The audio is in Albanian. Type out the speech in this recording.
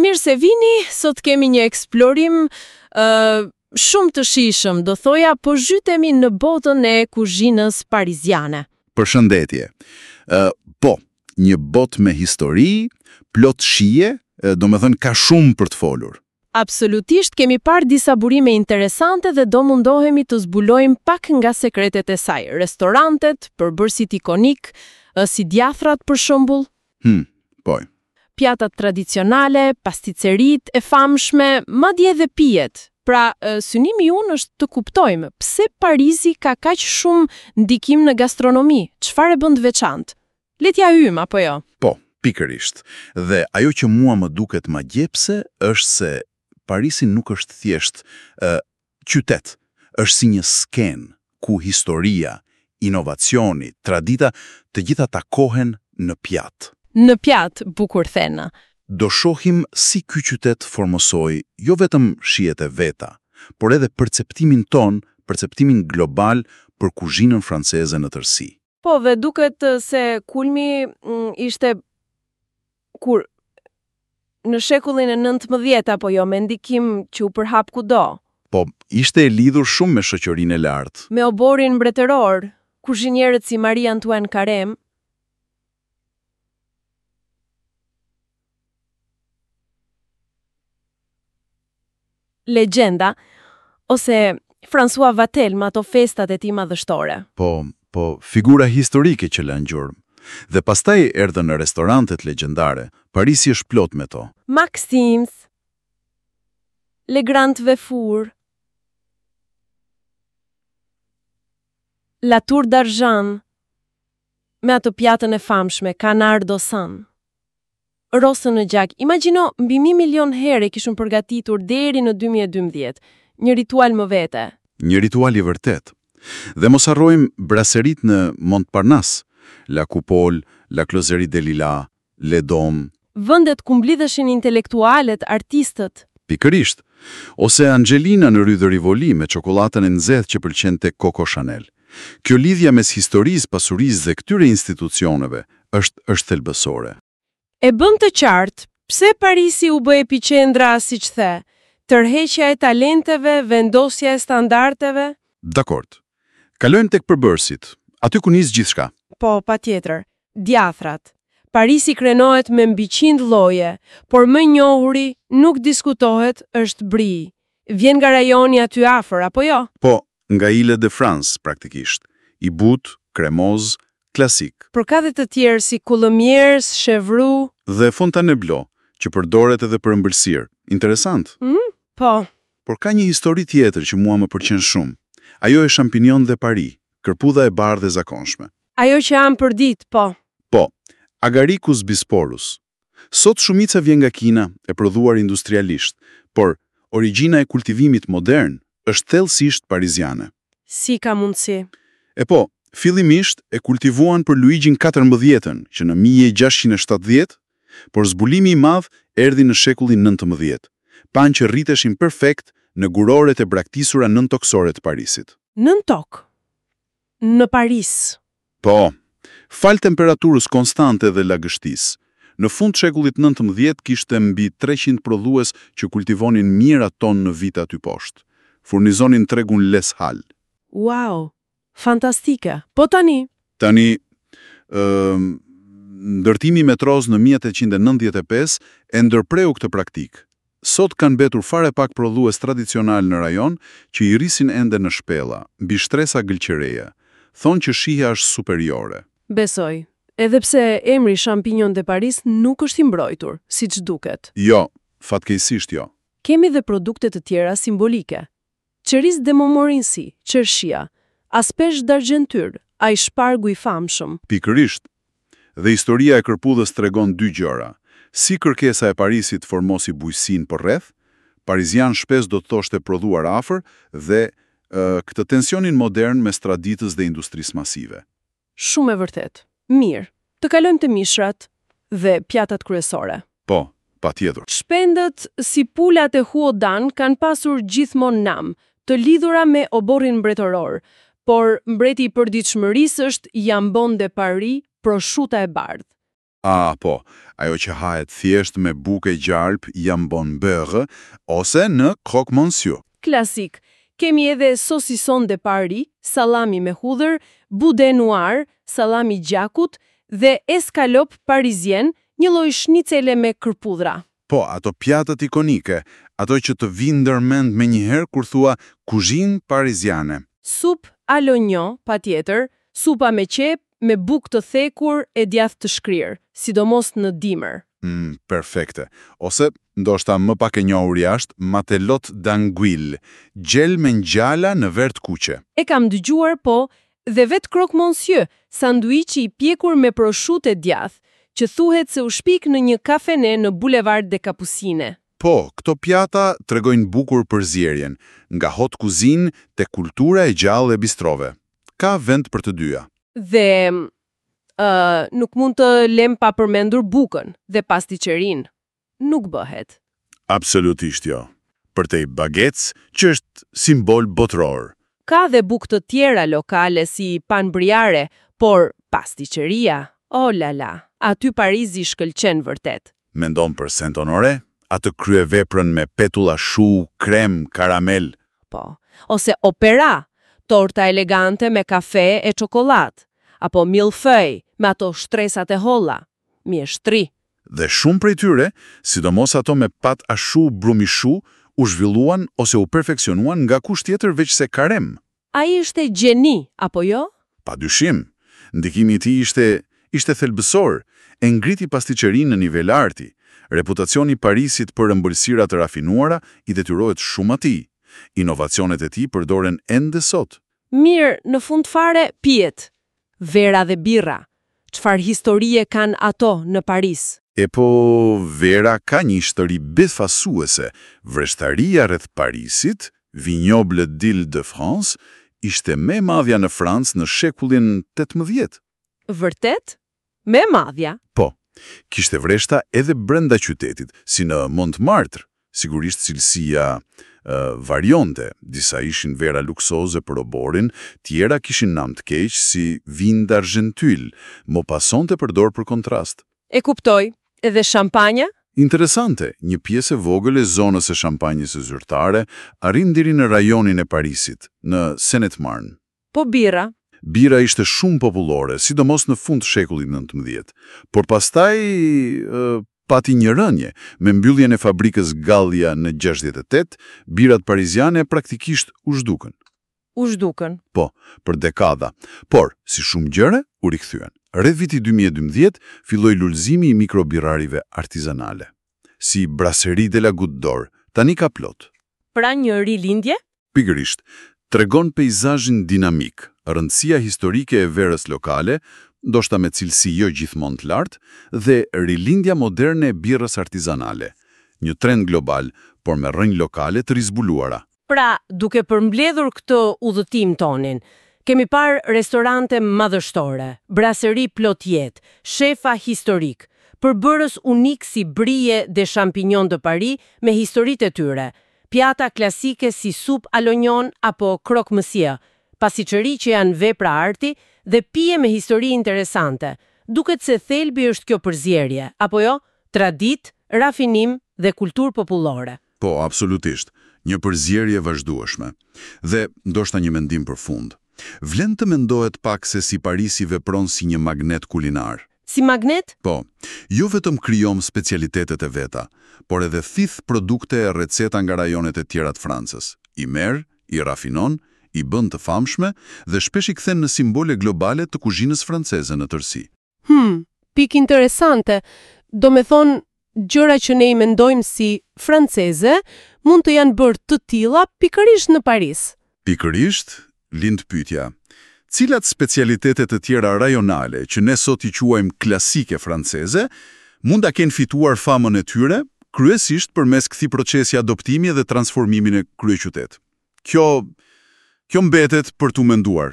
Mirë se vini, sot kemi një eksplorim ë shumë të shijshëm, do thoja, po zhytemi në botën e kuzhinës pariziane. Përshëndetje. Ë, po, një botë me histori, plot shije, domethënë ka shumë për të folur. Absolutisht kemi parë disa burime interesante dhe do mundohemi të zbulojmë pak nga sekretet e saj, restorantet, përbërësit ikonikë, si djathrat për shembull. Po. Pjatat tradicionale, pasticeritë e famshme, madje edhe pijet. Pra, synimi ynë është të kuptojmë pse Parisi ka kaq shumë ndikim në gastronomi, çfarë e bën të veçantë. Le t'ia hyjmë, apo jo? Po, pikërisht. Dhe ajo që mua më duket magjepse është se Parisi nuk është thjesht ë qytet, është si një skenë ku historia, inovacioni, tradita, të gjitha takohen në pjatë. Në pjatë, bukur thënë. Do shohim si ky qytet formësoi jo vetëm shijet e veta, por edhe perceptimin tonë, perceptimin global për kuzhinën franceze në tërësi. Po, dhe duket se kulmi ishte kur në shekullin e 19 apo jo, me ndikim që u përhap kudo. Po, ishte e lidhur shumë me shoqërinë e lartë. Me oborrin mbretëror, kuzhinierët si Marie-Antoine Carême, Legjenda, ose François Vatel me ato festat e tij madhështore. Po, po, figura historike që lanë gjurmë. Dhe pastaj erdhën restorantet legjendare, Parisi është plot me to. Maxim's, Le Grand Véfour, La Tour d'Argent, me atë pjatën e famshme, Canard au sang. Rosën në gjak. Imagjino, mbi 1 milion herë e kishin përgatitur deri në 2012. Një ritual më vete. Një ritual i vërtetë. Dhe mos harrojmë braseritë në Montparnasse, La Coupole, La Closerie des Lilas, Le Dôme. Vendet ku mblidheshin intelektualët, artistët. Pikërisht. Ose Angelina në Rue de Rivoli me çokollatën e nxehtë që pëlqente Coco Chanel. Kjo lidhja mes historisë, pasurisë dhe këtyre institucioneve është është thelbësore. E bën të qartë pse Parisi u bë epiqendra, siç the, tërheqja e talenteve, vendosja e standardeve. Dakord. Kalojmë tek përbërësit, aty ku nis gjithçka. Po, patjetër. Djathrat. Parisi krenohet me mbi 100 lloje, por më i njohuri, nuk diskutohet, është brie. Vjen nga rajoni aty afër, apo jo? Po, nga Ile de France, praktikisht. I butë, kremoz, klasik. Por ka dhe të tjerë si Coulommiers, Chevroux. Dhe Fontainebleau, që përdoret edhe për ëmbëlsirë. Interesant. Po. Por ka një histori tjetër që mua më pëlqen shumë. Ajo e champignon de Paris, kërpudha e bardhë e zakonshme. Ajo që hamë përditë, po. Po, Agaricus bisporus. Sot shumica vjen nga Kina, e prodhuar industrialisht, por origjina e kultivimit modern është thellësisht pariziane. Si ka mundësi? E po, fillimisht e kultivuan për Luigjin 14-ën, që në 1670, por zbulimi i madh erdhi në shekullin 19. Panë që rriteshin perfekt në guroret e braktisura nëntoksore të Parisit. Nën tokë. Në Paris. Po, falë temperaturës konstante dhe lagështisë. Në fund shekullit 19 kishte mbi 300 prodhues që kultivonin mijëra ton në vit aty poshtë. Furnizonin tregun Les Halles. Wow, fantastike. Po tani? Tani, ë, ndërtimi i metros në 1895 e ndërpreu këtë praktikë. Sot kanë mbetur fare pak prodhues tradicional në rajon që i rrisin ende në shpella, mbi shtresa gëlqereje. Thonë që shija është superiore. Besoj. Edhe pse emri Champignon de Paris nuk është i mbrojtur, siç duket. Jo, fatkeqësisht jo. Kemi dhe produkte të tjera simbolike. Cerise de Montmorency, qershia, Asperge d'Argenture, ai shpargu i famshëm. Pikërisht. Dhe historia e kërpudhës tregon dy gjëra. Si kërkesa e Parisit formosi bujqësinë përreth, parizian shpesh do të thoshte prodhuar afër dhe ë, këtë tensionin modern mes traditës dhe industrisë masive. Shumë e vërtetë. Mirë, të kalojmë te mishrat dhe pjatat kryesore. Po, patjetër. Shpendët si pulat e Huodan kanë pasur gjithmonë nam, të lidhura me oborrin mbretëror, por mbreti i përditshmërisë është Jambon de Paris, proshuta e bardhë. Ah, po, ajo që hahet thjesht me bukë e gjalp, jambon beurre, ose në croque monsieur. Klasik. Kemi edhe saucisson de Paris, salami me hudhër, boudin noir, salami gjakut dhe escalope parisienne, një lloj shnicele me kërpudhra. Po, ato pjatat ikonike, ato që të vinë ndërmend menjëherë kur thua kuzhinë pariziane. Soupe à l'oignon, patjetër, supa me qepë, me bukë të thekur e djathë të shkrirë, sidomos në dimër. Perfekte. Ose, ndoshta më pak e njohur jashtë, matelote d'anguille, gjel me ngjala në verë të kuqe. E kam dëgjuar, po, dhe vetë croque monsieur, sanduiçi i pjekur me proshutë e djathë, që thuhet se u shpik në një kafene në Boulevard des Capucines. Po, këto pjata tregojnë bukur përzierjen, nga haute cuisine te kultura e gjallë e bistrove. Ka vend për të dyja. Dhe nuk mund të lem pa përmendur bukën dhe pastiçerinë. Nuk bëhet. Absolutisht jo. Përtej baguettes, që është simbol botëror. Ka dhe bukë të tjera lokale si pain briare, por pastiçeria, oh la la, aty Parizi shkëlqen vërtet. Mendon për Saint-Honoré, atë kryeveprën me petulla shu, krem, karamel. Po, ose opera, torta elegante me kafe e çokoladë, apo millefeuille me ato shtresat e holla, mjeshtri. Dhe shumë prej tyre, sidomos ato me pâte à choux brumi shu, u zhvilluan ose u perfeksionuan nga kush tjetër veç se Carême. Ai ishte gjeni, apo jo? Pa dyshim, ndikimi i tij ishte thelbësor, e ngriti pastiçerinë në nivel arti. Reputacioni i Parisit për ëmbëlsira të rafinuara i detyrohet shumë atij. Inovacionet e tij përdoren ende sot. Mirë, në fund fare, pijet. Vera dhe birra. Çfarë historie kanë ato në Paris? E po, vera ka një histori befasuese. Vreshtaria rreth Parisit, Vignoble d'Île-de-France, ishte më e madhja në Francë në shekullin 18. Vërtet? Më e madhja? Po, kishte vreshta edhe brenda qytetit, si në Montmartre. Sigurisht cilësia varionte, disa ishin vera luksoze për oborin, tjera kishin nam të keq si vin d'Argenteuil, Maupassant e përdor për kontrast. E kuptoj. Edhe shampanja? Interesante, një pjesë e vogël e zonës së shampanjës zyrtare arrin deri në rajonin e Parisit, në Seine-et-Marne. Po birra? Bira ishte shumë popullore, sidomos në fund të shekullit 19, por pastaj pati një rënje. Me mbylljen e fabrikës Gallia në 68, birat pariziane praktikisht u zhdukën. U zhdukën. Po, për dekada. Por, si shumë gjëra, u rikthyen. Rreth viti 2012 filloi lulëzimi i mikrobirrarive artizanale. Si Brasserie de la Goutte d'Or, tani ka plot. Pra një rilindje? Pikërisht, tregon peizazhin dinamik, rëndësia historike e verës lokale, ndoshta me cilësi jo gjithmonë të lartë, dhe rilindja moderne e birrës artizanale. Një trend global, por me rrënjë lokale të rizbuluara. Pra, duke përmbledhur këtë udhëtim tonin, kemi parë restorante madhështore, braseri plot jetë, shefa historik, përbërës unik si brie dhe champignon de Paris me historitë e tyre, pjata klasike si soupe à l'oignon apo croque monsieur, pastiçeri që janë vepra arti dhe pije me histori interesante. Duket se thelbi është kjo përzierje, apo jo? Traditë, rafinim dhe kulturë popullore. Po, absolutisht. Një përzierje vazhdueshme. Dhe ndoshta një mendim për fund. Vlen të mendohet pak se si Parisi vepron si një magnet kulinar. Si magnet? Po, jo vetëm krijon specialitetet e veta, por edhe thith produkte e receta nga rajonet e tjera të Francës. I merr, i rafinon, i bën të famshme dhe shpesh i kthen në simbole globale të kuzhinës franceze në tërësi. Pikë interesante. Do me thonë, gjëra që ne i mendojmë si franceze, mund të janë bërë të tilla pikërisht në Paris. Pikërisht, lind pyetja. Cilat specialitete të tjera rajonale që ne sot i quajmë klasike franceze, mund ta kenë fituar famën e tyre, kryesisht përmes këtij procesi adoptimi dhe transformimi në kryeqytet. Kjo mbetet për t'u menduar.